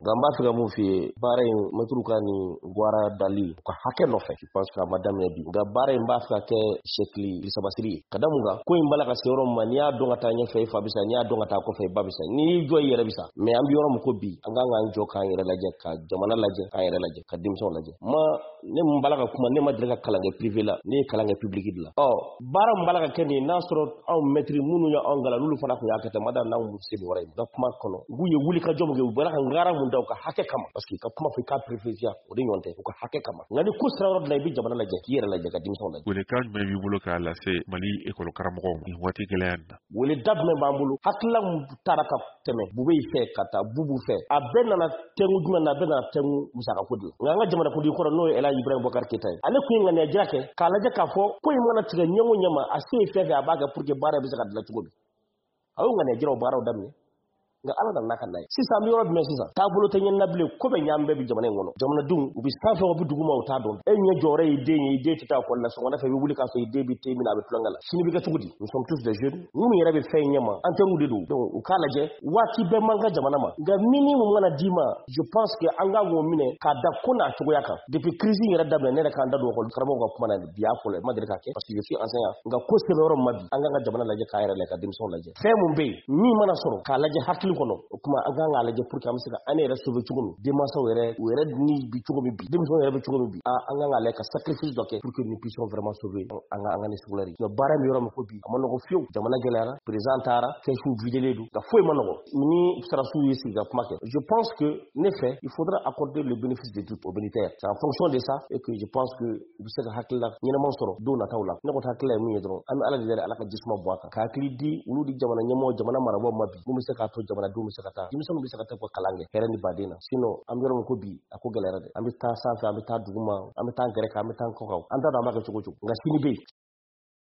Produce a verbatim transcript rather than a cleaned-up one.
Nka n b'a fɛ ka mun f'i ye, baara in, mɛtiriw ka nin gwara dali u ka hakɛ nɔfɛ, je pense que a ma daminɛ bi. Nka baara in b'a fɛ ka kɛ sɛkili sabasiri ye ka da mun kan. Ko in b'a la ka se yɔrɔ min ma, n'i y'a dɔn ka taa ɲɛfɛ, i fa bisa, n'i y'a dɔn ka taa kɔfɛ, i ba bisa, n'i y'i jɔ, i yɛrɛ bisa. Mais an bɛ yɔrɔ min ko bi, an kan k'an jɔ k'an yɛrɛ lajɛ, ka jamana lajɛ, k'an yɛrɛ lajɛ, ka denmisɛnw lajɛ. Ma ne mun b'a la ka kuma, ne ma deli ka kalan kɛ privé la, ne ye kalan kɛ public de la. Ɔ baara min b'a la ka kɛ nin ye, n'a sɔrɔ anw mɛtiri minnu ye anw kalan, n'olu fana tun y'a kɛ ten, ma da n'anw se nin yɔrɔ in ka kuma kɔnɔ. U ye wuli ka jɔ min kɛ, u bɔra ka ngara mun da u ka hakɛ kama, parce que ka kuma fɔ i k'a préférence, o de ɲɔgɔn tɛ, u ka hakɛ kama. Nka ni ko sera yɔrɔ dɔ la, i bɛ jamana lajɛ, k'i yɛrɛ lajɛ, ka denmisɛnw lajɛ. Welekan jumɛn b'i bolo k'a lase Mali ekɔli karamɔgɔw ma nin waati gɛlɛya in na? Wele da jumɛn b'an bolo? Hakilila mun taara ka tɛmɛ Bube fɛ ka taa Bubu fɛ, a bɛɛ nana tɛnku jumɛn na? A bɛɛ nana tɛnku musakako de la. Nka an ka jamanakuntigi kɔrɔ, n'o ye Elhaji Ibrahim Boubacar Keita ye, ale kun ye ŋaniya jira kɛ k'a lajɛ k'a fɔ ko in mana tigɛ ɲɛ o ɲɛ ma, a se ye fɛn fɛn, a b'a kɛ pour que baara bɛ se ka dilan cogo min. A y'o ŋaniya jiraw baaraw daminɛ, nka Ala nana n'a ka na ye. Sisan an bɛ yɔrɔ jumɛn sisan? Taabolo tɛ ɲɛna bilen, ko bɛ ɲaami bɛɛ bi jamana in kɔnɔ. Jamanadenw, u bɛ sanfɛ, u bɛ duguma, u t'a dɔn. E ɲɛ jɔyɔrɔ y'i den ye, i den tɛ taa ekɔli la. Sɔgɔmada fɛ, i bɛ wuli k'a sɔrɔ i den bɛ te min na, a bɛ tulonkɛ la. Sini bɛ kɛ cogo di? Nous sommes tous des jeunes. Minnu yɛrɛ bɛ fɛn in ɲɛma, an teriw de don. Donc u k'a lajɛ, waati bɛɛ man kan jamana ma, nka minimum mana d'i ma, je pense que an kan k'o minɛ k'a da ko n'a cogoya kan. Depuis crise in yɛrɛ daminɛ, ne yɛrɛ k'an da don ekɔli karamɔgɔw ka kuma na bi, y'a fɔlɔ ma deli k'a kɛ, parce que je suis enseignant. Nka ko sɛbɛn yɔrɔ min ma bi, an kan ka jamana lajɛ, k'a yɛrɛ lajɛ, ka denmisɛnw lajɛ. Fɛn mun bɛ yen min mana sɔrɔ, k'a lajɛ hakili kɔnɔ, o kuma an kan k'a lajɛ pour que an bɛ se ka an yɛrɛ sauver cogo min, denmansaw yɛrɛ, u yɛrɛ ni bi cogo min bi, denmisɛnw yɛrɛ bɛ cogo min bi, an kan k'a lajɛ ka sacrifice dɔ kɛ pour que nous puissions vraiment sauver an ka an ka ni scolaire. Sinon baara min, yɔrɔ min ko bi, a ma nɔgɔ fiyewu. Jamana gɛlɛyara, président taara, kɛsiw videlen don, nka foyi ma nɔgɔ ni sarasiw ye sigi ka kuma kɛ. Je pense que ne fɛ, il faudra accorder le bénéfice de doute aux militaires. C'est en fonction de ça et que je pense que u bɛ se ka hakilila ɲɛnama sɔrɔ don nataw la. Ne kɔni hakilila ye mun ye dɔrɔn, an bɛ Ala de deli, Ala ka jisuma bɔ a kan, ka hakili di olu di jamana ɲɛmɔgɔ, jamana marabaaw ma bi, mun bɛ se k'a to jamanadenw bɛ se ka taa, denmisɛnninw bɛ se ka taa u ka kalan kɛ hɛrɛ ni baden na. Sinon an bɛ yɔrɔ min ko bi, a ko gɛlɛyara dɛ. An bɛ taa sanfɛ, an bɛ taa duguma, an bɛ taa gɛrɛ kan, an bɛ taa kɔ kan, an t'a dɔn an b'a kɛ cogo cogo, nka sini bɛ yen.